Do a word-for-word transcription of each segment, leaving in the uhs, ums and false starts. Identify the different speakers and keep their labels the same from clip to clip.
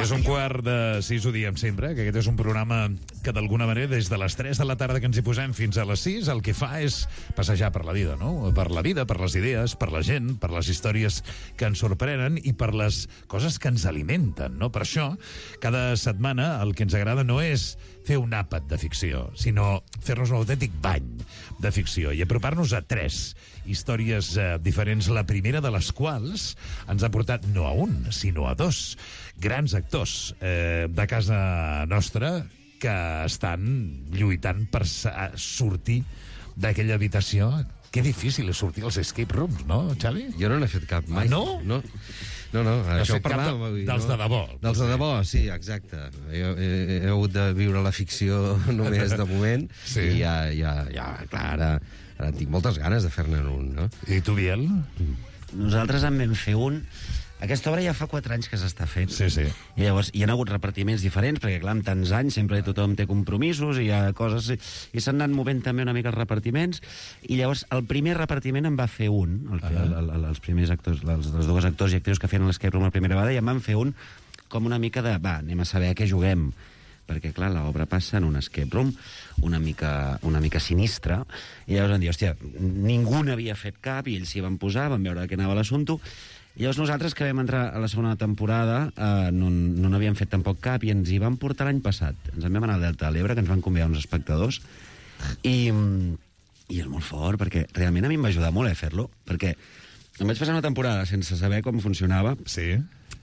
Speaker 1: És un quart de sis, ho diem sempre, que aquest és un programa que d'alguna manera des de les tres de la tarda que ens hi posem fins a les sis el que fa és passejar per la vida, no? Per la vida, per les idees, per la gent, per les històries que ens sorprenen i per les coses que ens alimenten, no? Per això, cada setmana el que ens agrada no és fer un àpat de ficció, sinó fer-nos un autèntic bany de ficció i apropar-nos a tres històries eh, diferents, la primera de les quals ens ha portat no a un, sinó a dos grans actors eh, de casa nostra que estan lluitant per sortir d'aquella habitació. Que difícil és sortir als escape rooms, no, Xavi?
Speaker 2: Jo no n'he fet cap mai.
Speaker 1: Ah, no?
Speaker 2: No, no, no això
Speaker 1: fet cap de, dels
Speaker 2: no?
Speaker 1: de debò.
Speaker 2: Dels de debò, sí, exacte. Jo he, he, he hagut de viure la ficció només de moment, sí. I ja, ja, ja, clar, ara, ara tinc moltes ganes de fer-ne un, no?
Speaker 1: I tu, Biel?
Speaker 3: Nosaltres en vam fer un. Aquesta obra ja fa quatre anys que s'està fent.
Speaker 1: Sí, sí.
Speaker 3: I llavors hi ha hagut repartiments diferents, perquè clar, en tants anys sempre tothom té compromisos i hi ha coses... I s'han anat movent també una mica els repartiments. I llavors el primer repartiment en va fer un, el, uh -huh. el, el, els primers actors, els, els dos actors i actrius que feien l'escape room la primera vegada, i en van fer un com una mica de... Va, anem a saber a què juguem. Perquè, clar, l'obra passa en un escape room una mica, una mica sinistre, i llavors van dir, hòstia, ningú n'havia fet cap, i ells s'hi van posar, van veure de què anava l'assumpte. I llavors nosaltres, que vam entrar a la segona temporada, eh, no no n'havíem fet tampoc cap, i ens hi vam portar l'any passat. Ens en vam anar al Delta de l'Ebre, que ens van convidar uns espectadors, i, i és molt fort, perquè realment a mi em va ajudar molt a fer-lo, perquè em vaig passar una temporada sense saber com funcionava,
Speaker 1: sí.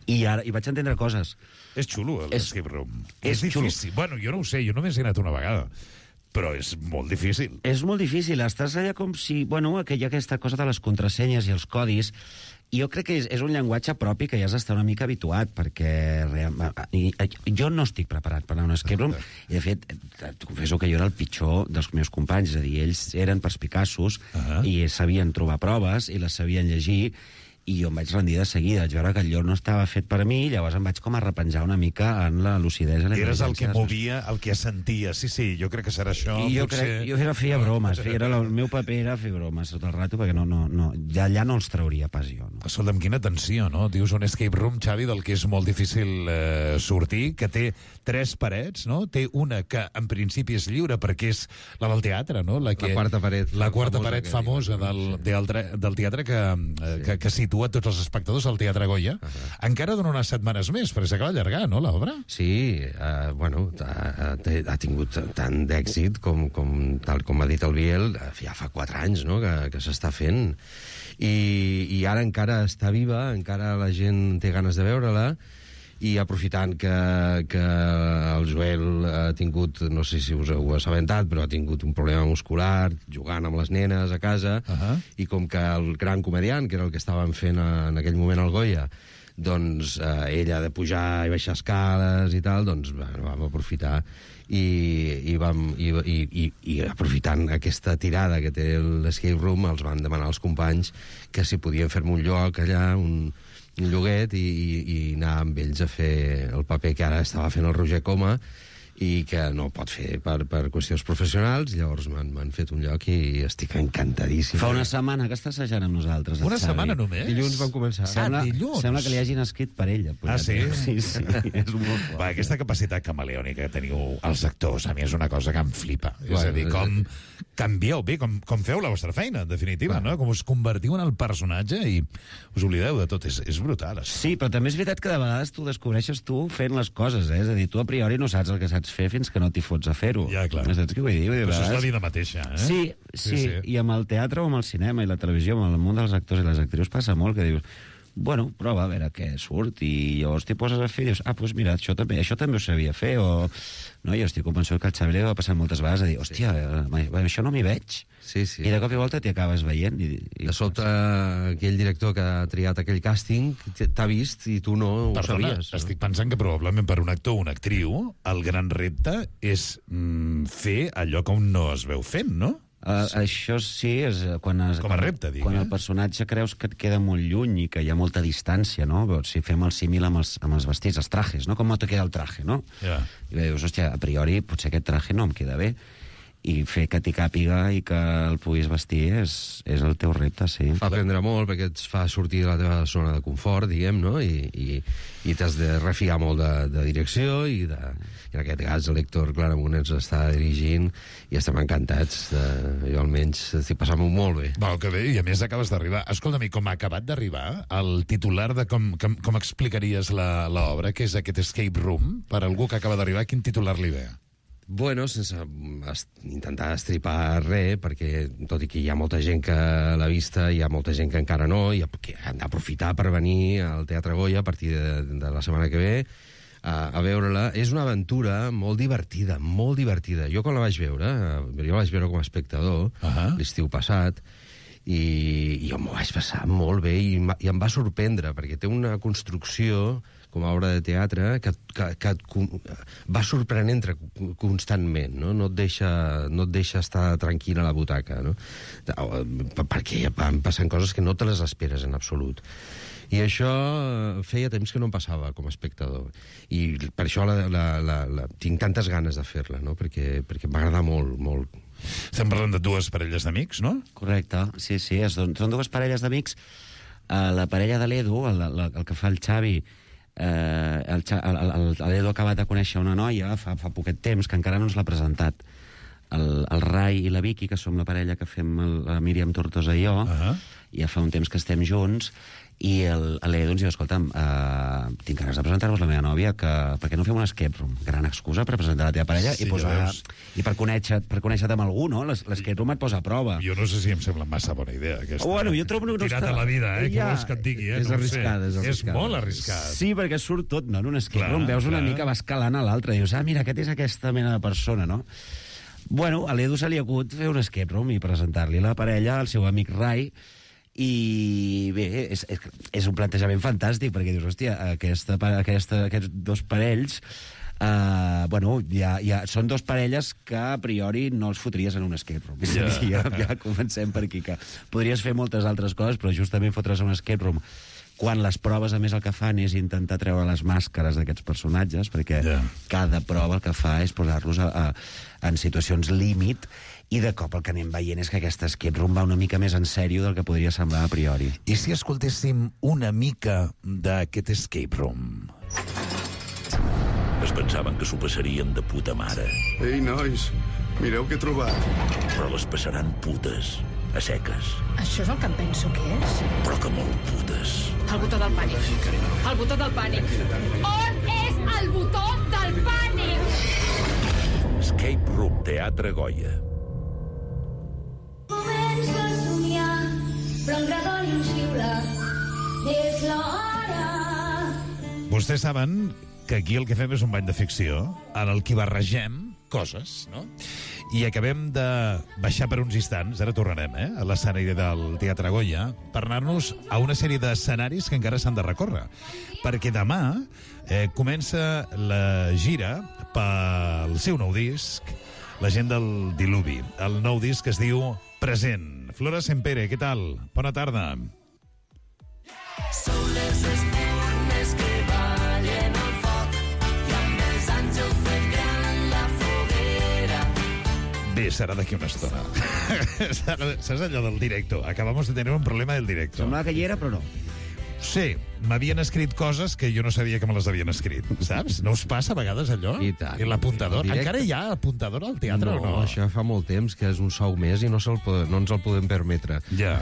Speaker 3: i ara i vaig entendre coses.
Speaker 1: És xulo, l'escape room. És, és
Speaker 3: xulo.
Speaker 1: difícil. Bueno, jo no ho sé, jo només he anat una vegada, però és molt difícil.
Speaker 3: És molt difícil, estàs allà com si... Bueno, que hi ha aquesta cosa de les contrasenyes i els codis, i jo crec que és, és un llenguatge propi que ja has d'estar una mica habituat, perquè real, i, i, jo no estic preparat per anar a un escape room, i de fet, et confesso que jo era el pitjor dels meus companys, és a dir, ells eren perspicaços, uh -huh. i sabien trobar proves, i les sabien llegir, i jo em vaig rendir de seguida, vaig veure que el lloc no estava fet per a mi, i llavors em vaig com a repenjar una mica en la lucidesa.
Speaker 1: Eres el que movia, el que sentia. Sí, sí, jo crec que serà això.
Speaker 3: I jo,
Speaker 1: potser...
Speaker 3: crec, jo era feia bromes, feia, era la, el meu paper era fer bromes tot el rato, perquè no, no, no, ja allà no els trauria pas jo. No?
Speaker 1: Escolta'm, quina tensió, no? Dius un escape room, Xavi, del que és molt difícil eh, sortir, que té tres parets, no? Té una que en principi és lliure, perquè és la del teatre, no? La, que,
Speaker 2: la quarta paret.
Speaker 1: La quarta paret famosa del, del, del teatre que, eh, que, que situa tots els espectadors al Teatre Goya. Uh -huh. Encara dona unes setmanes més, perquè s'acaba d'allargar, no, l'obra?
Speaker 2: Sí, uh, bueno, ha, ha tingut tant d'èxit com, com, tal com ha dit el Biel, ja fa quatre anys, no?, que, que s'està fent. I, I ara encara està viva, encara la gent té ganes de veure-la, i aprofitant que, que el Joel ha tingut, no sé si us heu assabentat, però ha tingut un problema muscular jugant amb les nenes a casa, uh -huh. i com que el gran comediant, que era el que estaven fent a, en aquell moment al Goya, doncs eh, ella ha de pujar i baixar escales i tal, doncs bueno, vam aprofitar i, i, vam, i, i, i, i aprofitant aquesta tirada que té l'escape room, els van demanar als companys que si podien fer-me un lloc allà, un un lloguet, i, i, i anar amb ells a fer el paper que ara estava fent el Roger Coma, i que no pot fer per, per qüestions professionals. Llavors m'han fet un lloc i estic encantadíssim.
Speaker 3: Fa una setmana que està assajant amb nosaltres.
Speaker 1: Una setmana només?
Speaker 2: Dilluns vam començar.
Speaker 3: Sembla,
Speaker 1: ah, dilluns?
Speaker 3: Sembla que li hagin escrit per ella.
Speaker 1: Ah, sí?
Speaker 3: Sí, sí, és molt fort.
Speaker 1: Va, aquesta capacitat camaleònica que teniu els actors, a mi és una cosa que em flipa. Bueno, és a dir, com canvieu bé, com, com feu la vostra feina, en definitiva, bueno. no? Com us convertiu en el personatge i us oblideu de tot. És, és brutal, això.
Speaker 3: Sí, però també és veritat que de vegades tu descobreixes tu fent les coses, eh? És a dir, tu a priori no saps el que saps fer fins que no t'hi fots a fer-ho.
Speaker 1: Ja, clar.
Speaker 3: Saps què vull dir? Vull dir,
Speaker 1: però això és la
Speaker 3: vegades...
Speaker 1: vida mateixa, eh?
Speaker 3: Sí, sí, sí, sí, i amb el teatre o amb el cinema i la televisió, amb el món dels actors i les actrius passa molt que dius, bueno, prova a veure què surt, i llavors t'hi poses a fer i dius, ah, doncs mira, això també, això també ho sabia fer, o... No, jo estic convençut que el Xavi li va passar moltes vegades a dir, hòstia, sí. això no m'hi veig.
Speaker 2: Sí, sí.
Speaker 3: I de cop i volta t'hi acabes veient. I, i...
Speaker 2: De sobte, aquell director que ha triat aquell càsting t'ha vist i tu no
Speaker 1: Perdona,
Speaker 2: ho sabies. No?
Speaker 1: Estic pensant que probablement per un actor o una actriu el gran repte és mm, fer allò que un no es veu fent, no?
Speaker 3: Uh, sí. Això sí, és quan, es,
Speaker 1: com a repte, dic,
Speaker 3: quan
Speaker 1: eh?
Speaker 3: el personatge creus que et queda molt lluny i que hi ha molta distància, no? Si fem el símil amb els, amb els vestits, els trajes, no? Com no te queda el traje, no?
Speaker 1: Yeah.
Speaker 3: I dius, hòstia, a priori potser aquest traje no em queda bé. i fer que t'hi càpiga i que el puguis vestir és, és el teu repte, sí.
Speaker 2: Fa aprendre molt perquè et fa sortir de la teva zona de confort, diguem, no? I, i, i t'has de refiar molt de, de direcció i, de, i en aquest cas l'Héctor Claramunt ens està dirigint i estem encantats. De, jo almenys estic passant-m'ho molt bé.
Speaker 1: Val, que bé, i a més acabes d'arribar. Escolta'm, com ha acabat d'arribar el titular de com, com, com explicaries l'obra, que és aquest escape room, per algú que acaba d'arribar, quin titular li ve?
Speaker 2: Bueno, sense est intentar estripar res, perquè tot i que hi ha molta gent que l'ha vista, hi ha molta gent que encara no, i que han d'aprofitar per venir al Teatre Goya a partir de, de la setmana que ve a, a veure-la. És una aventura molt divertida, molt divertida. Jo quan la vaig veure, jo la vaig veure com a espectador, uh-huh. l'estiu passat, i, i jo m'ho vaig passar molt bé i, i em va sorprendre, perquè té una construcció com a obra de teatre, que, que, que et va sorprenent constantment, no? No et deixa, no et deixa estar tranquil a la butaca, no? Perquè van passant coses que no te les esperes en absolut. I això feia temps que no em passava com a espectador. I per això la, la, la, la, tinc tantes ganes de fer-la, no? Perquè, perquè m'agrada molt, molt.
Speaker 1: Estem parlant de dues parelles d'amics, no?
Speaker 3: Correcte, sí, sí, és, són dues parelles d'amics. Uh, la parella de l'Edu, el, el, el que fa el Xavi, Eh, el, el, l'Edu ha acabat de conèixer una noia fa, fa poquet temps que encara no ens l'ha presentat, el, el Rai i la Vicky, que som la parella que fem el, la Míriam Tortosa i jo, uh-huh. ja fa un temps que estem junts, i l'Edu ens diu, escolta'm, uh, tinc ganes de presentar-vos la meva nòvia, que, per què no fem un escape room? Gran excusa per presentar la teva parella sí, i, posar, i per conèixer-te per conèixer amb algú, no? L'escape room et posa a prova.
Speaker 1: Jo no sé si em sembla massa bona idea, aquesta.
Speaker 3: Bueno, jo trobo no
Speaker 1: Tirat
Speaker 3: està...
Speaker 1: a la vida, eh?
Speaker 3: Ja...
Speaker 1: Què vols que et digui, eh?
Speaker 2: És
Speaker 1: no
Speaker 2: arriscada, és arriscada.
Speaker 1: És molt arriscat.
Speaker 3: Sí, perquè surt tot, no? En un escape
Speaker 1: clar,
Speaker 3: room veus una
Speaker 1: clar.
Speaker 3: mica, va escalant a l'altre, dius, ah, mira, aquest és aquesta mena de persona, no? Bueno, a l'Edu se li ha acut fer un escape room i presentar-li la parella al seu amic Rai, i bé, és, és, és un plantejament fantàstic, perquè dius, hòstia, aquesta, aquesta, aquests dos parells, uh, bueno, ja, ja, són dos parelles que a priori no els fotries en un escape room. Ja, ja, ja comencem per aquí, que podries fer moltes altres coses, però justament fotre's en un escape room quan les proves, a més, el que fan és intentar treure les màscares d'aquests personatges, perquè yeah. cada prova el que fa és posar-los a, a, en situacions límit, i de cop el que anem veient és que aquest escape room va una mica més en sèrio del que podria semblar a priori.
Speaker 1: I si escoltéssim una mica d'aquest escape room?
Speaker 4: Es pensaven que s'ho passarien de puta mare.
Speaker 5: Ei, nois, mireu què he trobat.
Speaker 4: Però les passaran putes, a seques.
Speaker 6: Això és el que em penso que és?
Speaker 4: Però que molt putes.
Speaker 6: El botó del pànic. El botó del pànic. On és el botó del pànic?
Speaker 4: Escape Room, Teatre Goya.
Speaker 7: Començo a somiar, però un gradol i un xiula. És l'hora.
Speaker 1: Vostès saben que aquí el que fem és un bany de ficció en el que barregem coses, no? I acabem de baixar per uns instants, ara tornarem, eh, a l'escenari del Teatre Goya, per anar-nos a una sèrie d'escenaris que encara s'han de recórrer. Perquè demà eh, comença la gira pel seu nou disc, la gent del Diluvi. El nou disc es diu Present. Flora Sempere, què tal? Bona tarda.
Speaker 8: Són les espurnes que ballen al foc i amb els anys heu fet gran la foguera.
Speaker 1: Bé, serà d'aquí una estona. Saps allò del directo? Acabamos de tener un problema del directo.
Speaker 3: Semblava que hi era, però no.
Speaker 1: Sí, m'havien escrit coses que jo no sabia que me les havien escrit, saps? No us passa a vegades allò?
Speaker 2: I tant.
Speaker 1: I l'apuntador?
Speaker 2: Directe.
Speaker 1: Encara hi ha apuntador al teatre
Speaker 2: no,
Speaker 1: o no?
Speaker 2: Això fa molt temps que és un sou més i no, se'l pod no ens el podem permetre.
Speaker 1: Ja.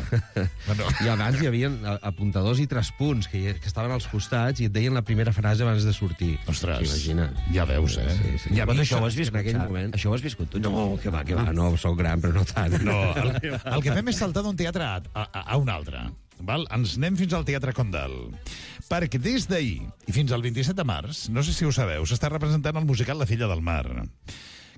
Speaker 1: Bueno.
Speaker 2: I abans hi havia apuntadors i traspunts que, hi, que estaven als costats i et deien la primera frase abans de sortir.
Speaker 1: Ostres,
Speaker 2: imagina.
Speaker 1: Ja veus, eh?
Speaker 2: Sí, sí.
Speaker 1: Ja
Speaker 3: Però
Speaker 1: veus,
Speaker 3: això ho has viscut,
Speaker 2: en aquell
Speaker 3: Xavi?
Speaker 2: moment.
Speaker 3: Això ho has viscut tu?
Speaker 2: No, que va, que va, no, sóc gran, però no tant.
Speaker 1: No, el, el que fem és saltar d'un teatre a, a, a un altre. Val? Ens anem fins al Teatre Condal. Perquè des d'ahir i fins al vint-i-set de març, no sé si ho sabeu, s'està representant el musical La filla del mar,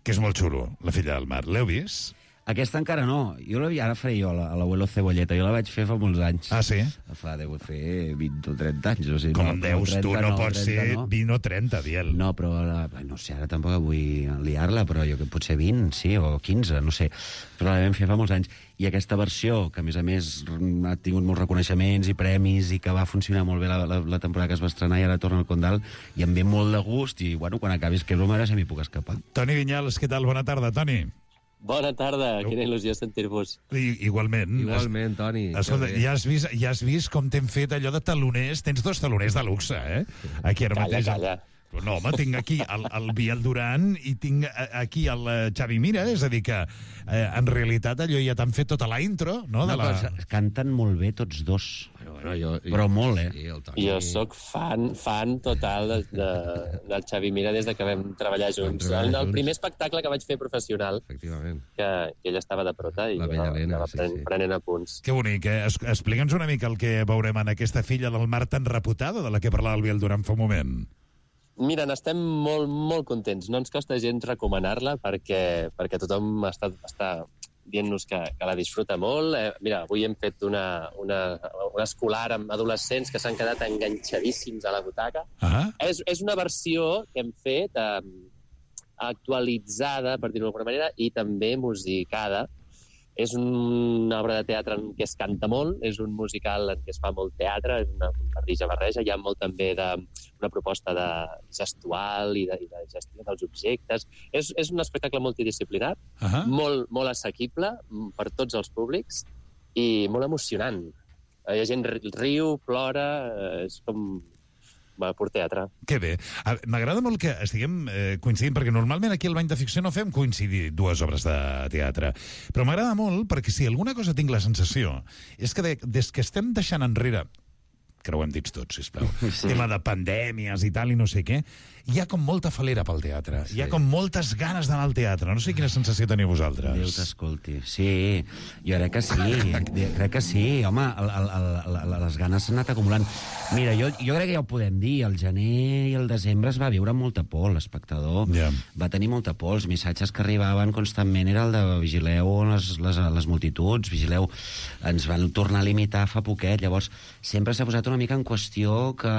Speaker 1: que és molt xulo, La filla del mar. L'heu vist?
Speaker 3: Aquesta encara no. Jo la, ara faré jo, a l'abuelo Cebolleta. Jo la vaig fer fa molts anys.
Speaker 1: Ah, sí?
Speaker 3: Fa, deu fer vint o trenta anys. O sigui,
Speaker 1: Com
Speaker 3: no,
Speaker 1: em deus,
Speaker 3: trenta,
Speaker 1: tu no, no pots ser
Speaker 3: no.
Speaker 1: vint o trenta, Biel.
Speaker 3: No, però la, no sé, ara tampoc vull liar-la, però jo que potser vint, sí, o quinze, no sé. Però la vam fer fa molts anys. I aquesta versió, que a més a més ha tingut molts reconeixements i premis i que va funcionar molt bé la, la, la temporada que es va estrenar i ara torna al Condal, i em ve molt de gust i, bueno, quan acabis que broma, ara se m'hi puc escapar.
Speaker 1: Toni Vinyals, què tal? Bona tarda, Toni.
Speaker 9: Bona tarda, quina il·lusió sentir-vos.
Speaker 1: I, igualment.
Speaker 2: Igualment, Toni.
Speaker 1: Escolta, ja has, vist, ja has vist com t'hem fet allò de taloners? Tens dos taloners de luxe, eh? Aquí ara
Speaker 9: Calla,
Speaker 1: mateix...
Speaker 9: calla.
Speaker 1: No, home, tinc aquí el, el Biel Duran i tinc aquí el eh, Xavi Mira, és a dir que eh, en realitat allò ja t'han fet tota la intro, no? De
Speaker 3: Una
Speaker 1: la...
Speaker 3: cosa, canten molt bé tots dos.
Speaker 2: Bueno, bueno, jo,
Speaker 3: Però molt, eh?
Speaker 2: Sí, el Toni...
Speaker 9: Jo sóc fan, fan total de, de, del Xavi Mira des de que vam treballar junts.
Speaker 2: treballar
Speaker 9: El, el
Speaker 2: junts.
Speaker 9: primer espectacle que vaig fer professional,
Speaker 2: Efectivament.
Speaker 9: que, que ell estava de prota i
Speaker 2: La
Speaker 9: jo
Speaker 2: vella Helena,
Speaker 9: anava
Speaker 2: sí,
Speaker 9: pren,
Speaker 2: sí.
Speaker 9: prenent apunts.
Speaker 1: Que bonic, eh? Es, explica'ns una mica el que veurem en aquesta filla del mar tan reputada de la que parlava el Biel Duran fa un moment.
Speaker 9: Mira, n'estem molt, molt contents. No ens costa gens recomanar-la perquè, perquè tothom està, està dient-nos que, que la disfruta molt. Eh, mira, avui hem fet una, una, una escolar amb adolescents que s'han quedat enganxadíssims a la butaca.
Speaker 1: Ah,
Speaker 9: És, és una versió que hem fet eh, actualitzada, per dir-ho d'alguna manera, i també musicada. És una obra de teatre en què es canta molt, és un musical en què es fa molt teatre, és una barreja-barreja, hi ha molt també de, una proposta de gestual i de, i de gestió dels objectes. És, és un espectacle multidisciplinar,
Speaker 1: ah.
Speaker 9: molt, molt assequible per tots els públics i molt emocionant. Hi ha gent riu, plora, és com... Va, pur teatre.
Speaker 1: Que bé. A- M'agrada molt que estiguem eh, coincidint, perquè normalment aquí al Bany de Ficció no fem coincidir dues obres de teatre. Però m'agrada molt perquè si alguna cosa tinc la sensació és que de, des que estem deixant enrere, creuem dits tots, sisplau, sí. tema de pandèmies i tal i no sé què, hi ha com molta falera pel teatre. Sí. Hi ha com moltes ganes d'anar al teatre. No sé quina sensació teniu vosaltres.
Speaker 3: Déu t'escolti. Sí, jo crec que sí. crec que sí. Home, el, el, el, el, les ganes s'han anat acumulant. Mira, jo, jo crec que ja ho podem dir. El gener i el desembre es va viure amb molta por, l'espectador.
Speaker 1: Ja.
Speaker 3: Va tenir molta por. Els missatges que arribaven constantment era el de vigileu les, les, les multituds, vigileu... Ens van tornar a limitar fa poquet. Llavors, sempre s'ha posat una mica en qüestió que...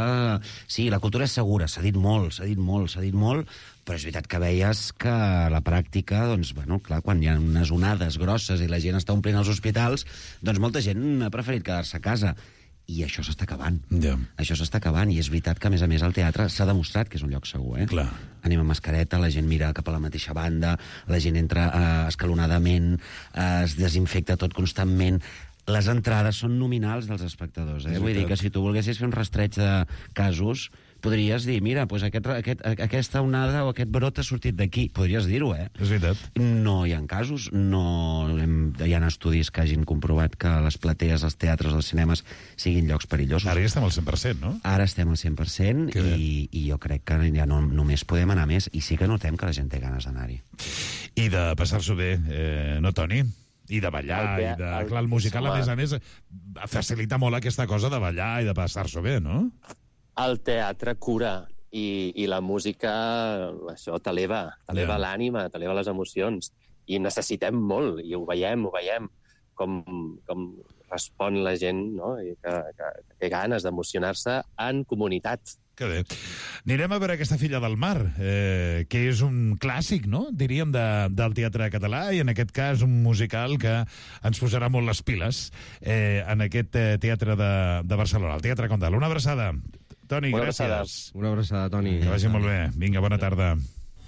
Speaker 3: Sí, la cultura és segura, s'ha dit molt, s'ha dit molt, s'ha dit molt, però és veritat que veies que a la pràctica, doncs, bueno, clar, quan hi ha unes onades grosses i la gent està omplint els hospitals, doncs molta gent ha preferit quedar-se a casa. I això s'està acabant.
Speaker 1: Ja.
Speaker 3: Això s'està acabant, i és veritat que, a més a més, el teatre s'ha demostrat que és un lloc segur, eh?
Speaker 1: Clar.
Speaker 3: Anem amb mascareta, la gent mira cap a la mateixa banda, la gent entra eh, escalonadament, eh, es desinfecta tot constantment. Les entrades són nominals dels espectadors, eh? Vull dir que si tu volguessis fer un rastreig de casos, podries dir, mira, doncs aquest, aquest, aquesta onada o aquest brot ha sortit d'aquí. Podries dir-ho, eh?
Speaker 1: És veritat.
Speaker 3: No hi ha casos, no hem, hi ha estudis que hagin comprovat que les platees, els teatres, els cinemes siguin llocs perillosos.
Speaker 1: Ara ja estem al cent per cent, no?
Speaker 3: Ara estem al cent per cent i, i jo crec que ja no, només podem anar més, i sí que notem que la gent té ganes d'anar-hi.
Speaker 1: I de passar-s'ho bé, eh, no, Toni? I de ballar,
Speaker 9: El te-
Speaker 1: i de...
Speaker 9: el-
Speaker 1: Clar, el musical, a
Speaker 9: home.
Speaker 1: més a més, facilita molt aquesta cosa de ballar i de passar-s'ho bé, no?
Speaker 9: El teatre cura i, i la música, això t'eleva, t'eleva
Speaker 1: Ja.
Speaker 9: l'ànima, t'eleva les emocions. I necessitem molt, i ho veiem, ho veiem, com, com respon la gent, no? I que, que, que té ganes d'emocionar-se en comunitat.
Speaker 1: Que bé. Anirem a veure aquesta Filla del Mar, eh, que és un clàssic, no?, diríem, de, del teatre català, i en aquest cas un musical que ens posarà molt les piles eh, en aquest eh, teatre de, de Barcelona, el Teatre Condal. Una abraçada. Toni,
Speaker 9: Una
Speaker 1: gràcies.
Speaker 9: abraçada.
Speaker 2: Una abraçada, Toni.
Speaker 1: Que vagi molt bé. Vinga, bona tarda.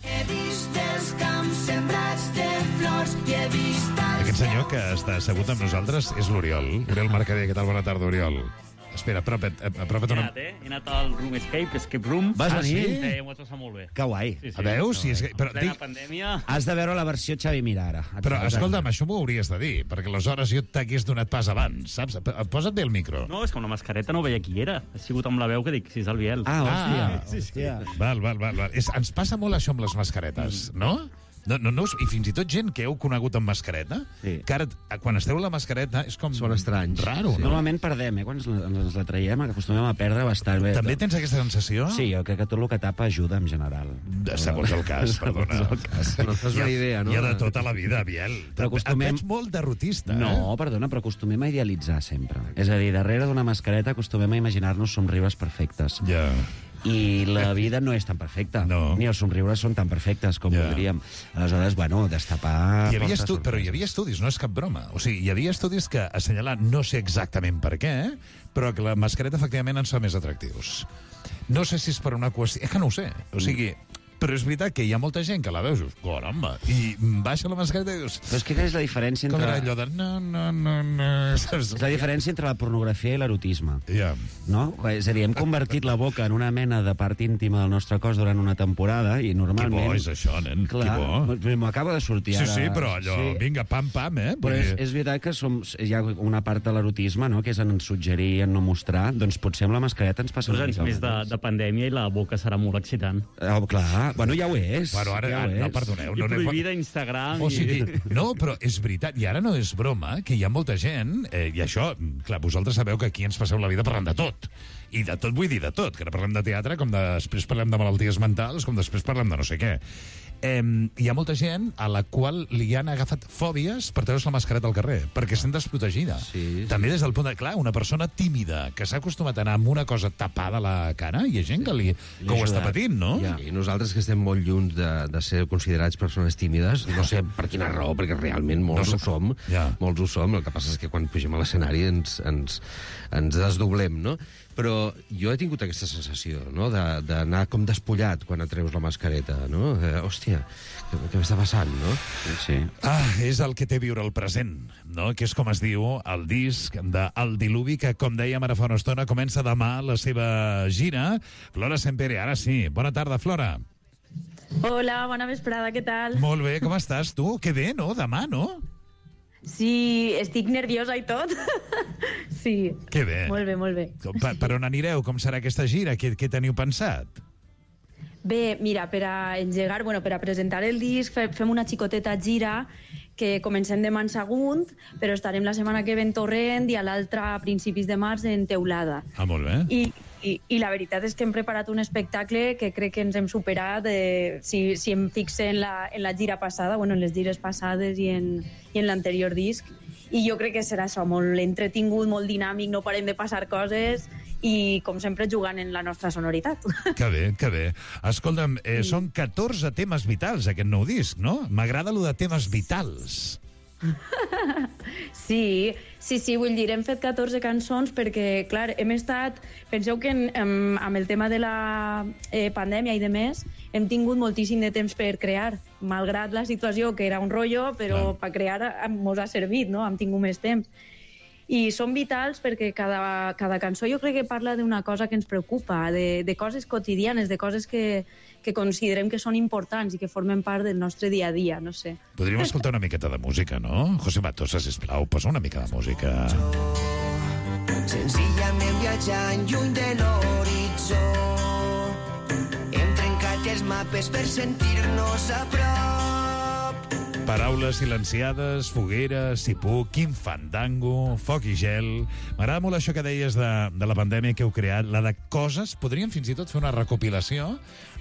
Speaker 8: He vist els camps sembrats de flors i he vist els...
Speaker 1: Aquest senyor que està assegut amb nosaltres és l'Oriol. Oriol Mercader, què tal? Bona tarda, Oriol. Espera, apropa't, apropa't
Speaker 10: He
Speaker 1: una...
Speaker 10: anat, eh? He anat al Room Escape, Escape Room.
Speaker 3: Vas
Speaker 1: Ah,
Speaker 3: venir?
Speaker 1: sí?
Speaker 10: Eh, m'ho has passat molt bé.
Speaker 3: Que guai.
Speaker 10: Sí, sí.
Speaker 1: A veure, si és... que- Però,
Speaker 10: En plena
Speaker 1: dic,
Speaker 10: pandèmia...
Speaker 3: Has de veure la versió Xavi Mira, ara.
Speaker 1: però escolta'm, això m'ho hauries de dir, perquè aleshores jo t'hagués donat pas abans, saps? Posa't bé el micro.
Speaker 10: No, és que amb una mascareta no veia qui era. Ha sigut amb la veu que dic, si és el Biel.
Speaker 3: Ah, hòstia,
Speaker 1: Ah,
Speaker 3: sí, hòstia.
Speaker 1: Val, val, val. val. És, ens passa molt això amb les mascaretes, no? No, no, no, us- I fins i tot gent que heu conegut amb mascareta,
Speaker 3: Sí.
Speaker 1: que ara, quan esteu la mascareta, és com...
Speaker 2: Són estranys.
Speaker 1: Raro, no?
Speaker 3: Normalment perdem, eh? Quan ens la, ens la traiem, que acostumem a perdre bastant bé.
Speaker 1: També tens aquesta sensació?
Speaker 3: Sí, jo crec que tot el que tapa ajuda en general.
Speaker 1: De- Segons el cas, perdona.
Speaker 3: Segons el cas.
Speaker 2: No et fas una idea, no?
Speaker 1: Hi ha de tota la vida, Biel.
Speaker 3: Però acostumem-
Speaker 1: Et veig molt derrotista,
Speaker 3: No,
Speaker 1: eh?
Speaker 3: perdona, però acostumem a idealitzar sempre. És a dir, darrere d'una mascareta acostumem a imaginar-nos somriures perfectes.
Speaker 1: Ja.
Speaker 3: I la vida no és tan perfecta.
Speaker 1: No.
Speaker 3: Ni els somriures són tan perfectes com
Speaker 1: Ja.
Speaker 3: voldríem. Aleshores, bueno, destapar...
Speaker 1: Hi havia
Speaker 3: porta
Speaker 1: estu... Però hi
Speaker 3: sorpreses.
Speaker 1: havia estudis, no és cap broma. O sigui, hi havia estudis que assenyalen, no sé exactament per què, però que la mascareta efectivament ens fa més atractius. No sé si és per una qüestió... És que no ho sé. O sigui, Però és veritat que hi ha molta gent que la veus, dius, caramba, i baixa la mascareta i dius...
Speaker 3: Però és que és la diferència entre...
Speaker 1: Com era allò de... No, no, no, no...
Speaker 3: És la diferència entre la pornografia i l'erotisme.
Speaker 1: Ja.
Speaker 3: No? És a dir, hem convertit la boca en una mena de part íntima del nostre cos durant una temporada i normalment...
Speaker 1: Que bo és això, nen,
Speaker 3: clar,
Speaker 1: que bo.
Speaker 3: M'acaba de sortir
Speaker 1: Sí,
Speaker 3: ara...
Speaker 1: sí, però allò,
Speaker 3: sí.
Speaker 1: vinga, pam, pam, eh?
Speaker 3: Però és, és veritat que som, hi ha una part de l'erotisme, no?, que és en suggerir, en no mostrar, doncs potser amb la mascareta ens passa
Speaker 10: Dos
Speaker 3: una
Speaker 10: anys
Speaker 3: mica
Speaker 10: més de, de pandèmia i la boca serà molt excitant.
Speaker 3: Oh, clar, bueno, ja ho és.
Speaker 1: Bueno, ara,
Speaker 3: ja ho
Speaker 1: no,
Speaker 3: és.
Speaker 1: perdoneu.
Speaker 10: I
Speaker 1: No
Speaker 10: prohibida Instagram.
Speaker 1: O sigui,
Speaker 10: i...
Speaker 1: no, però és veritat, i ara no és broma, que hi ha molta gent, eh, i això, clar, vosaltres sabeu que aquí ens passeu la vida parlant de tot. I de tot vull dir de tot, que ara parlem de teatre, com després parlem de malalties mentals, com després parlem de no sé què. Eh, hi ha molta gent a la qual li han agafat fòbies per treure's la mascareta al carrer, perquè sent desprotegida.
Speaker 2: Sí, sí.
Speaker 1: També des del punt de... Clar, una persona tímida que s'ha acostumat a anar amb una cosa tapada a la cara, hi ha gent que, li, que ho està patint, no?
Speaker 2: Ja. I nosaltres que estem molt lluny de, de ser considerats persones tímides, no sé per quina raó, perquè realment molts
Speaker 1: No sé.
Speaker 2: ho som,
Speaker 1: Ja.
Speaker 2: molts ho som, el que passa és que quan pugem a l'escenari ens, ens, ens desdoblem, no? Però jo he tingut aquesta sensació, no?, de- d'anar com despullat quan et treus la mascareta, no? Eh, hòstia, què, què m'està passant, no?
Speaker 3: Sí.
Speaker 1: Ah, és el que té viure el present, no? Que és com es diu el disc de El Diluvi, que, com dèiem ara fa una estona, comença demà la seva gira. Flora Sempere, ara sí. Bona tarda, Flora.
Speaker 11: Hola, bona vesprada, què tal?
Speaker 1: Molt bé, com estàs tu? Que bé, no? Demà, no?
Speaker 11: Sí, estic nerviosa i tot. Sí.
Speaker 1: Que bé.
Speaker 11: Molt bé, molt bé.
Speaker 1: Per, per on anireu? Com serà aquesta gira? Què, què teniu pensat?
Speaker 11: Bé, mira, per a engegar, bueno, per a presentar el disc, fe, fem una xicoteta gira que comencem demà en Sagunt, però estarem la setmana que ve en Torrent i a l'altra a principis de març en Teulada.
Speaker 1: Ah, molt bé.
Speaker 11: I, i, I la veritat és que hem preparat un espectacle que crec que ens hem superat, eh, si, si em fixe en la, en la gira passada, bueno, en les gires passades i en, i en l'anterior disc, i jo crec que serà això, molt entretingut, molt dinàmic, no parem de passar coses i, com sempre, jugant en la nostra sonoritat.
Speaker 1: Que bé, que bé. Escolta'm, eh, són catorze temes vitals, aquest nou disc, no? M'agrada lo de temes vitals.
Speaker 11: Sí, sí, sí, vull dir, hem fet catorze cançons perquè, clar, hem estat... Penseu que en, en, amb el tema de la eh, pandèmia i de més, hem tingut moltíssim de temps per crear, malgrat la situació, que era un rotllo, però
Speaker 1: Clar.
Speaker 11: per crear ens ha servit, no? Hem tingut més temps. I són vitals perquè cada, cada cançó jo crec que parla d'una cosa que ens preocupa, de, de coses quotidianes, de coses que, que considerem que són importants i que formen part del nostre dia a dia, no sé.
Speaker 1: Podríem escoltar una miqueta de música, no? José Matosa, sisplau, posa una mica de música.
Speaker 8: Senzillament viatjant lluny de l'horitzó. Hem trencat els mapes per sentir-nos a prop.
Speaker 1: Paraules silenciades, foguera, si puc, quin fandango, foc i gel... M'agrada molt això que deies de, de la pandèmia que heu creat, la de coses... Podríem fins i tot fer una recopilació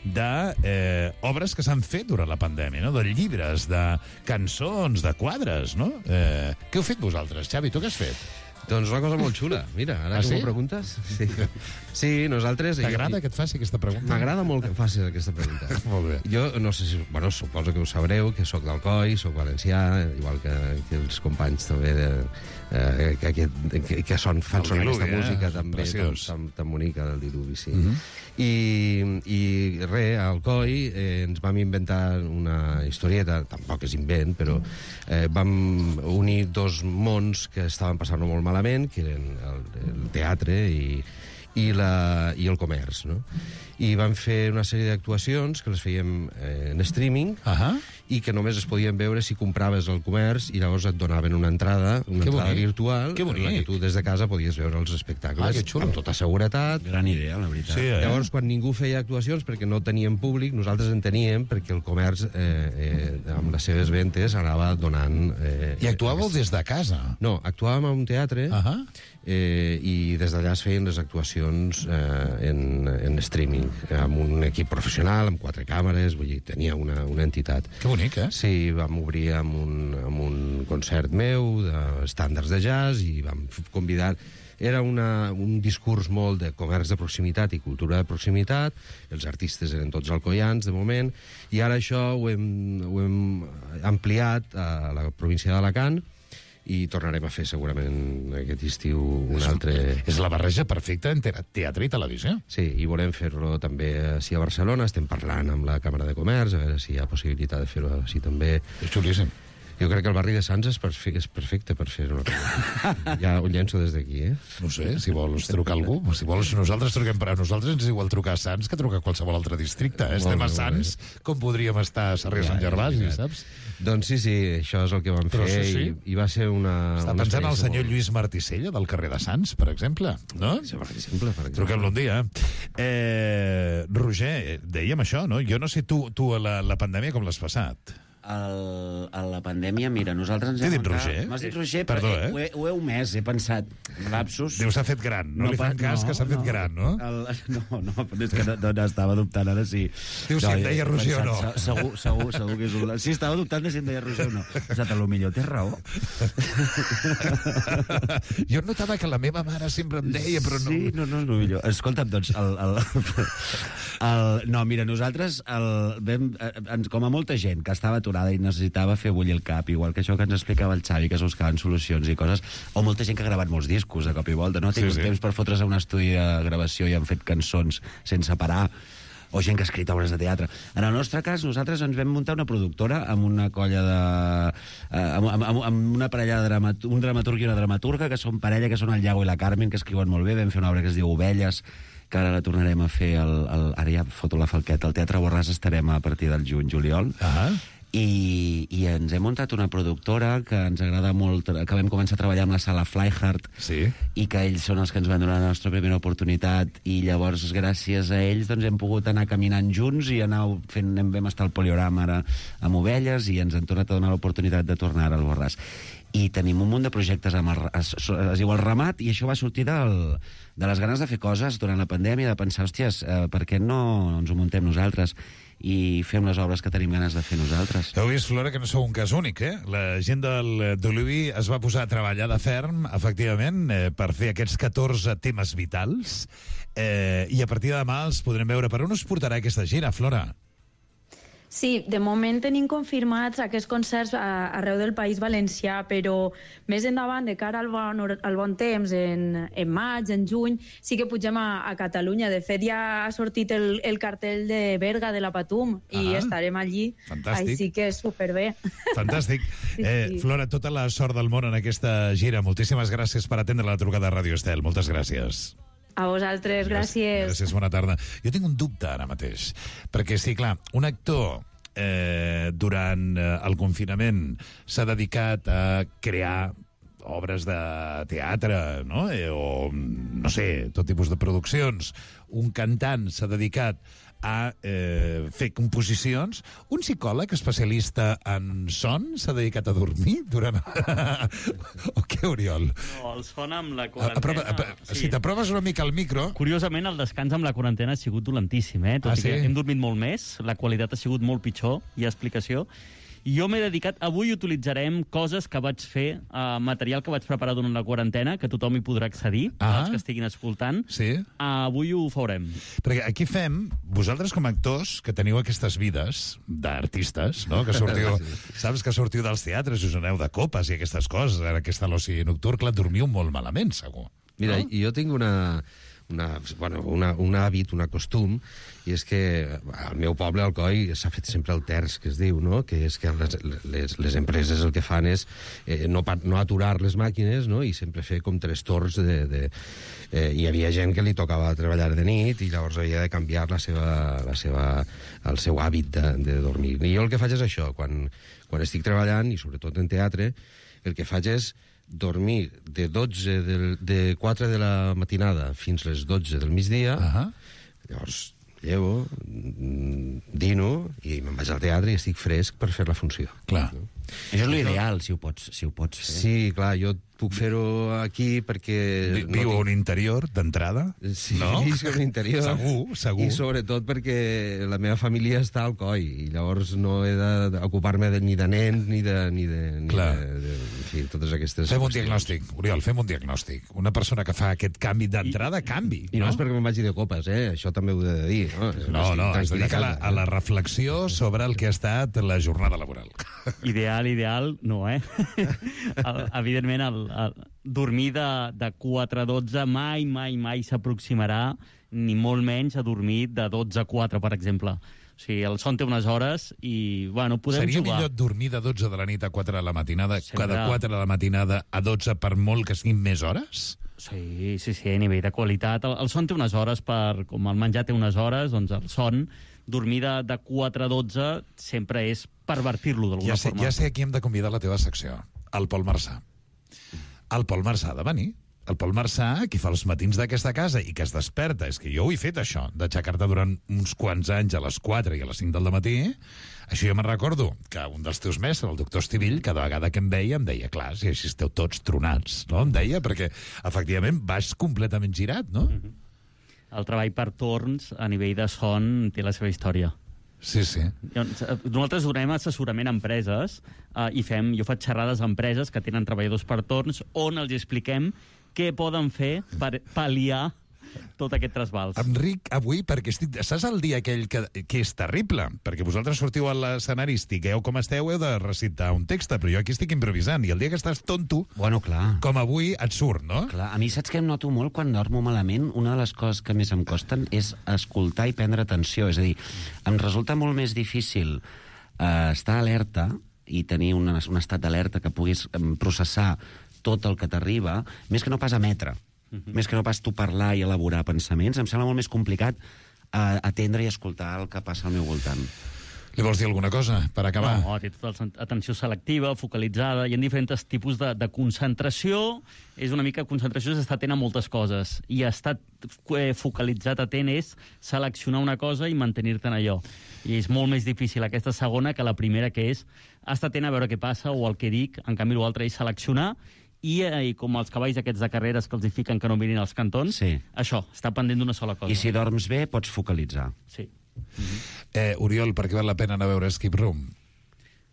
Speaker 1: de eh, obres que s'han fet durant la pandèmia, no? De llibres, de cançons, de quadres, no? Eh, què heu fet vosaltres? Xavi, tu què has fet?
Speaker 2: Doncs una cosa molt xula. Mira, ara
Speaker 1: Ah,
Speaker 2: que
Speaker 1: sí?
Speaker 2: m'ho preguntes... Sí, sí nosaltres...
Speaker 1: T'agrada que et faci aquesta pregunta?
Speaker 2: M'agrada molt que em facis aquesta pregunta.
Speaker 1: Molt bé.
Speaker 2: Jo no sé si... Bueno, suposo que ho sabreu, que sóc d'Alcoi, sóc valencià, igual que, que els companys també de, eh, que, que, que, que són, fan
Speaker 1: El
Speaker 2: sonar
Speaker 1: Diluvi,
Speaker 2: aquesta
Speaker 1: eh?
Speaker 2: música també tan,
Speaker 1: Preciós.
Speaker 2: tan, tan bonica del Diluvi, sí.
Speaker 1: Mhm.
Speaker 2: I, i res, a Alcoi eh, ens vam inventar una historieta, tampoc és invent, però eh, vam unir dos mons que estaven passant-ho molt malament, que eren el, el teatre i, i, la, i el comerç, no? I vam fer una sèrie d'actuacions que les fèiem eh, en streaming
Speaker 1: Ahà.
Speaker 2: i que només es podien veure si compraves al comerç i llavors et donaven una entrada, una
Speaker 1: Que
Speaker 2: entrada
Speaker 1: bonic.
Speaker 2: virtual
Speaker 1: Que
Speaker 2: en la
Speaker 1: bonic.
Speaker 2: que tu des de casa podies veure els espectacles
Speaker 1: Ah, que xulo.
Speaker 2: amb tota seguretat.
Speaker 3: Gran idea, la veritat.
Speaker 1: Sí, eh?
Speaker 2: Llavors, quan ningú feia actuacions perquè no teníem públic, nosaltres en teníem perquè el comerç, eh, eh, amb les seves ventes, anava donant... Eh,
Speaker 1: I actuàveu des de casa?
Speaker 2: No, actuàvem a un teatre
Speaker 1: Ahà.
Speaker 2: eh, i des d'allà es feien les actuacions eh, en, en streaming, amb un equip professional, amb quatre càmeres, vull dir, tenia una, una entitat.
Speaker 1: Que bonic, eh?
Speaker 2: Sí, vam obrir amb un, amb un concert meu d'estàndards de jazz i vam convidar... Era una, un discurs molt de comerç de proximitat i cultura de proximitat, els artistes eren tots alcoians, de moment, i ara això ho hem, ho hem ampliat a la província d'Alacant i tornarem a fer segurament aquest estiu un altre...
Speaker 1: És la barreja perfecta entre teatre i televisió.
Speaker 2: Sí, i volem fer-lo també així a Barcelona. Estem parlant amb la Càmera de Comerç, a veure si hi ha possibilitat de fer-ho així també.
Speaker 1: És xulíssim.
Speaker 2: Jo crec que el barri de Sants és perfecte, és perfecte per fer-ho. Ja ho llenço des d'aquí, eh?
Speaker 1: No sé, si vols trucar algú. Si vols, nosaltres truquem per a nosaltres, ens és igual trucar a Sants que trucar a qualsevol altre districte. Eh? Estem a Sants, com podríem estar a Sarrià Sant Gervasi, saps?
Speaker 2: Doncs sí, sí, això és el que vam
Speaker 1: Però
Speaker 2: fer
Speaker 1: sí, sí.
Speaker 2: I, i va ser una...
Speaker 1: Està
Speaker 2: una
Speaker 1: pensant el
Speaker 2: experiència
Speaker 1: senyor
Speaker 2: molt-
Speaker 1: Lluís Marticella, del carrer de Sants, per exemple, no?
Speaker 2: Sí, per exemple, per exemple.
Speaker 1: Truquem-lo un dia. Eh, Roger, dèiem això, no? Jo no sé tu, tu a la, la pandèmia com l'has passat.
Speaker 3: El, a la pandèmia, mira, nosaltres ens
Speaker 1: T'he
Speaker 3: hem
Speaker 1: dit
Speaker 3: muntat-
Speaker 1: Roger?
Speaker 3: M'has dit Roger,
Speaker 1: Perdó,
Speaker 3: però
Speaker 1: eh?
Speaker 3: ho, he, ho he omès, he pensat. Lapsus.
Speaker 1: Déu s'ha fet gran, no, li fan
Speaker 3: pa-
Speaker 1: cas que s'ha fet gran, no?
Speaker 3: El, no, no, però és que no, no, no estava dubtant ara si...
Speaker 1: Diu si em deia
Speaker 3: he
Speaker 1: Roger o
Speaker 3: pensat,
Speaker 1: no.
Speaker 3: se- Segur, segur, segur que és un... Sí, estava dubtant de si em deia Roger o no. He pensat, a lo millor té raó.
Speaker 1: Jo notava que la meva mare sempre em deia, però no...
Speaker 3: Sí, no, no és el millor. Escolta'm, doncs, el, el, el, no, mira, nosaltres el, vam, eh, ens, com a molta gent que estava aturada i necessitava fer bullir el cap, igual que això que ens explicava el Xavi, que es buscaven solucions i coses, o molta gent que ha gravat molts discos de cop i volta, no ha tingut
Speaker 1: Sí, sí.
Speaker 3: temps per fotre's a un estudi de gravació i han fet cançons sense parar, o gent que ha escrit obres de teatre. En el nostre cas, nosaltres ens vam muntar una productora amb una colla de... Eh, amb, amb, amb una parella de dramat, un dramaturg i una dramaturga, que són parella, que són el Iago i la Carmen, que escriuen molt bé. Vam fer una obra que es diu Ovelles, que ara la tornarem a fer, el, el, ara ja foto la falqueta, al Teatre Borràs estarem a partir del juny-juliol.
Speaker 1: Ah.
Speaker 3: I, i ens hem muntat una productora que ens agrada molt, que vam començar a treballar amb la sala Flyhard,
Speaker 1: Sí.
Speaker 3: i que ells són els que ens van donar la nostra primera oportunitat, i llavors gràcies a ells doncs, hem pogut anar caminant junts i anar fent, vam estar al Poliorama ara amb Ovelles i ens han tornat a donar l'oportunitat de tornar al Borràs. I tenim un munt de projectes amb el, es, es diu el Ramat, i això va sortir del, de les ganes de fer coses durant la pandèmia, de pensar, hòsties, eh, per què no ens ho muntem nosaltres i fem les obres que tenim ganes de fer nosaltres.
Speaker 1: Heu vist, Flora, que no sou un cas únic, eh? La gent del d'Olivi es va posar a treballar de ferm, efectivament, eh, per fer aquests catorze temes vitals, eh, i a partir de demà els podrem veure. Per on us portarà aquesta gira, Flora?
Speaker 11: Sí, de moment tenim confirmats aquests concerts a, arreu del País Valencià, però més endavant, de cara al bon, hor- al bon temps, en, en maig, en juny, sí que pugem a, a Catalunya. De fet, ja ha sortit el, el cartell de Berga, de la Patum, i
Speaker 1: Ah,
Speaker 11: estarem allí.
Speaker 1: fantàstic.
Speaker 11: Així que superbé.
Speaker 1: Fantàstic.
Speaker 11: Sí,
Speaker 1: Eh,
Speaker 11: sí.
Speaker 1: Flora, tota la sort del món en aquesta gira. Moltíssimes gràcies per atendre la trucada a Ràdio Estel. Moltes gràcies.
Speaker 11: A vosaltres, gràcies.
Speaker 1: Gràcies, bona tarda. Jo tinc un dubte ara mateix, perquè sí, clar, un actor eh, durant eh, el confinament s'ha dedicat a crear obres de teatre, no? Eh, o, no sé, tot tipus de produccions. Un cantant s'ha dedicat a eh, fer composicions. Un psicòleg especialista en son s'ha dedicat a dormir durant... o què, Oriol?
Speaker 10: No, el son amb la
Speaker 1: Aprova,
Speaker 10: quarantena...
Speaker 1: aprova, si t'aproves una mica al micro...
Speaker 10: Curiosament, el descans amb la quarantena ha sigut dolentíssim, eh? Tot
Speaker 1: Ah,
Speaker 10: i que
Speaker 1: sí?
Speaker 10: hem dormit molt més, la qualitat ha sigut molt pitjor, hi ha explicació. I jo m'he dedicat... Avui utilitzarem coses que vaig fer, uh, material que vaig preparar durant la quarantena, que tothom hi podrà accedir,
Speaker 1: Ah.
Speaker 10: els que estiguin escoltant.
Speaker 1: Sí?
Speaker 10: Uh, avui ho farem.
Speaker 1: Perquè aquí fem, vosaltres com a actors, que teniu aquestes vides d'artistes, no? Que sortiu, saps que sortiu dels teatres, us aneu de copes i aquestes coses, ara aquesta l'oci nocturn, clar, dormiu molt malament, segur.
Speaker 2: Mira,
Speaker 1: no?
Speaker 2: jo tinc una, una, bueno, una, un hàbit, un costum, i és que al meu poble, al Coi, s'ha fet sempre el terç, que es diu, no? Que és que les, les, les empreses el que fan és eh, no, pa- no aturar les màquines, no? I sempre fer com tres torns de... de eh, hi havia gent que li tocava treballar de nit i llavors havia de canviar la seva, la seva, el seu hàbit de, de dormir. I jo el que faig és això, quan, quan estic treballant, i sobretot en teatre, el que faig és dormir de dotze del, de quatre de la matinada fins les dotze del migdia.
Speaker 1: Uh-huh.
Speaker 2: Llavors llevo, mm, dino i me'n vaig al teatre i estic fresc per fer la funció.
Speaker 1: Clar.
Speaker 3: Això és l'ideal, si ho pots, si ho pots fer.
Speaker 2: Sí, clar, jo puc fer-ho aquí perquè...
Speaker 1: Vi- Viu a un interior, d'entrada?
Speaker 2: Sí,
Speaker 1: no?
Speaker 2: visc a un interior.
Speaker 1: Segur, segur.
Speaker 2: I sobretot perquè la meva família està al Coi i llavors no he d'ocupar-me de, ni de nens ni de... Ni de, ni
Speaker 1: Clar.
Speaker 2: de, de fi, totes aquestes...
Speaker 1: Fem un
Speaker 2: qüestions.
Speaker 1: diagnòstic, Oriol, fem un diagnòstic. Una persona que fa aquest canvi d'entrada, canvi.
Speaker 2: I no, no és perquè me'n vagi de copes, eh? Això també ho he de dir. No,
Speaker 1: No, no, es dedica a la, a la reflexió sobre el que ha estat la jornada laboral.
Speaker 10: Ideal, ideal, no, eh? el, evidentment, el, el, dormir de, de quatre a dotze mai, mai, mai s'aproximarà, ni molt menys a dormir de dotze a quatre, per exemple. O sigui, el son té unes hores i, bueno, podem
Speaker 1: Seria
Speaker 10: jugar.
Speaker 1: millor dormir de dotze de la nit a quatre de la matinada
Speaker 10: Sempre.
Speaker 1: que de quatre de la matinada a dotze per molt que siguin més hores?
Speaker 10: Sí, sí, sí, a nivell de qualitat. El, el son té unes hores, per, com el menjar té unes hores, doncs el son, dormir de, de quatre a dotze sempre és pervertir-lo d'alguna
Speaker 1: Ja sé,
Speaker 10: forma.
Speaker 1: ja sé a qui hem de convidar a la teva secció. El Pol Marçà. El Pol Marçà ha de venir. El Pol Marçà, qui fa els matins d'aquesta casa i que es desperta, és que jo ho he fet, això, d'aixecar-te durant uns quants anys a les quatre i a les cinc del matí. Això jo me'n recordo, que un dels teus mestres, el doctor Estivill, cada vegada que em veia, em deia, clar, si així esteu tots tronats, no? Em deia, perquè, efectivament, vas completament girat, no?
Speaker 10: Mm-hmm. El treball per torns, a nivell de son, té la seva història.
Speaker 1: Sí, sí.
Speaker 10: Nosaltres donem assessorament a empreses eh, i fem, jo faig xerrades a empreses que tenen treballadors per torns on els expliquem què poden fer per pal·liar tot aquest trasbals.
Speaker 1: Enric, avui, perquè estic... Saps el dia aquell que, que és terrible? Perquè vosaltres sortiu a l'escenari, estigueu com esteu, heu de recitar un text, però jo aquí estic improvisant, i el dia que estàs tonto,
Speaker 3: Bueno, clar.
Speaker 1: com avui, et surt, no?
Speaker 3: Clar, a mi saps que em noto molt quan dormo malament? Una de les coses que més em costen és escoltar i prendre atenció. És a dir, em resulta molt més difícil eh, estar alerta i tenir un, un estat d'alerta que puguis em, processar tot el que t'arriba, més que no pas emetre. Uh-huh. Més que no pas tu parlar i elaborar pensaments. Em sembla molt més complicat eh, atendre i escoltar el que passa al meu voltant.
Speaker 1: Li vols dir alguna cosa, per acabar?
Speaker 10: No, té tota l'atenció selectiva, focalitzada, hi ha diferents tipus de, de concentració. És una mica, concentració és estar atent a moltes coses, i estar eh, focalitzat atent és seleccionar una cosa i mantenir-te en allò. I és molt més difícil aquesta segona que la primera, que és estar atent a veure què passa o el que dic. En canvi, l'altre és seleccionar, i, eh, i com els cavalls aquests de carreres que els hi fiquen que no mirin els cantons,
Speaker 3: Sí.
Speaker 10: això, està pendent d'una sola cosa.
Speaker 3: I si dorms bé, pots focalitzar.
Speaker 10: Sí.
Speaker 1: Eh, Oriol, per què val la pena anar a veure Escape Room?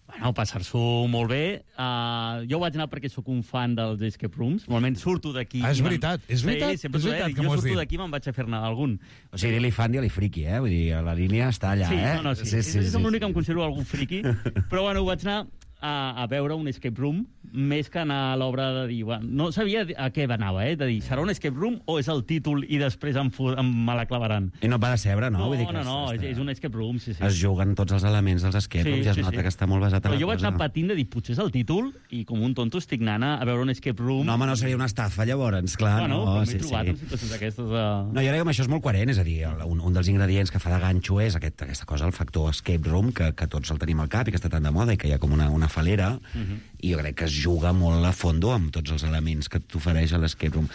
Speaker 10: Bueno, passar-s'ho molt bé. Uh, jo vaig anar perquè sóc un fan dels escape rooms. Normalment surto d'aquí...
Speaker 1: Ah, és
Speaker 10: i me'n-
Speaker 1: veritat, és veritat,
Speaker 10: Sí, sempre
Speaker 1: és
Speaker 10: t'ho he
Speaker 1: veritat
Speaker 10: dit.
Speaker 1: que m'ho
Speaker 10: Jo
Speaker 1: has
Speaker 10: surto
Speaker 1: dit.
Speaker 10: d'aquí i me'n vaig a fer-ne algun.
Speaker 3: O sigui, dir-li fan, dir-li friqui, eh? Vull dir, la línia està allà,
Speaker 10: Sí,
Speaker 3: eh?
Speaker 10: no, no, sí. sí, sí, sí som l'únic que em considero algun friqui. Però, bueno, vaig anar a, a veure un escape room, més que anar a l'obra de dir... Bueno, no sabia a què anava, eh? De dir, serà un escape room o és el títol i després em, fu- em me la clavaran?
Speaker 3: I no va de cebre, no?
Speaker 10: No,
Speaker 3: Vull dir que
Speaker 10: no, no,
Speaker 3: es,
Speaker 10: és, és un escape room, sí, sí.
Speaker 3: es juguen tots els elements dels escape rooms i es nota que està molt basat en
Speaker 10: Però
Speaker 3: la
Speaker 10: jo vaig
Speaker 3: cosa.
Speaker 10: anar patint de dir, potser és el títol, i com un tonto estic anant a veure un escape room.
Speaker 3: No, home, no seria una estafa, llavors, clar.
Speaker 10: Bueno,
Speaker 3: no,
Speaker 10: però m'he
Speaker 3: sí,
Speaker 10: trobat
Speaker 3: sí.
Speaker 10: en situacions d'aquestes... Uh...
Speaker 3: No, jo crec que amb això és molt coherent, és a dir, el- un, un dels ingredients que fa de ganxo és aquest, aquesta cosa, el factor escape room, que, que tots el tenim al cap i que està tan de moda i que hi ha com una, una falera,
Speaker 10: Mhm.
Speaker 3: i jo crec que es juga molt a fondo amb tots els elements que t'ofereix a l'escape room.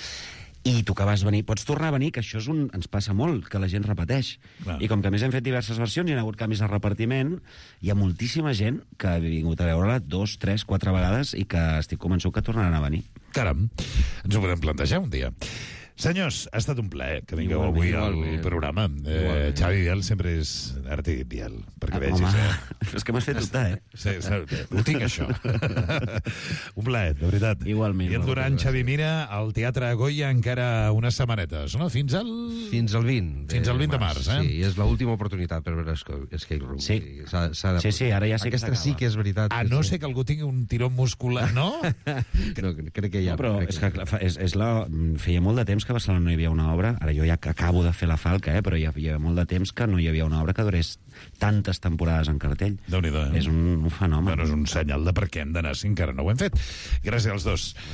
Speaker 3: I tu que vas venir, pots tornar a venir, que això és un, ens passa molt, que la gent repeteix.
Speaker 1: Clar.
Speaker 3: I com que a més hem fet diverses versions i hi ha hagut canvis de repartiment, hi ha moltíssima gent que ha vingut a veure-la dos, tres, quatre vegades i que estic convençut que tornaran a venir.
Speaker 1: Caram, ens ho podem plantejar un dia. Senyors, ha estat un plaer que vingueu
Speaker 3: Igualment,
Speaker 1: avui al
Speaker 3: igualment.
Speaker 1: programa. Eh,
Speaker 3: Igualment.
Speaker 1: Xavi Biel sempre és arte i Biel, perquè
Speaker 3: Ah,
Speaker 1: vegis,
Speaker 3: home,
Speaker 1: eh?
Speaker 3: és que m'has fet dubtar, eh?
Speaker 1: Sí, sí, ho tinc, això. Un plaer, de veritat.
Speaker 3: Igualment.
Speaker 1: I el Duran, Xavi Mira, al Teatre Goya encara unes setmanetes, no? Fins al...
Speaker 2: Fins al vint.
Speaker 1: Fins al vint de març, eh?
Speaker 2: Sí, i és l'última oportunitat per veure Esca- Escape Room.
Speaker 3: Sí.
Speaker 2: S'ha, s'ha de...
Speaker 3: Sí, sí, ara ja sé que
Speaker 2: Aquesta sí
Speaker 3: s'acaba.
Speaker 2: que és veritat.
Speaker 1: A no ser que algú tingui un tiró muscular, no?
Speaker 2: No, crec que ja...
Speaker 3: No, però
Speaker 2: crec
Speaker 3: és que clar, fa- és, és la, feia molt de temps que a Barcelona no hi havia una obra, ara jo ja acabo de fer la falca, eh, però hi havia molt de temps que no hi havia una obra que durés tantes temporades en cartell.
Speaker 1: Déu-n'hi-do, eh?
Speaker 3: És un, un fenomen.
Speaker 1: Bueno, és un senyal de per què hem d'anar si encara no ho hem fet. Gràcies als dos.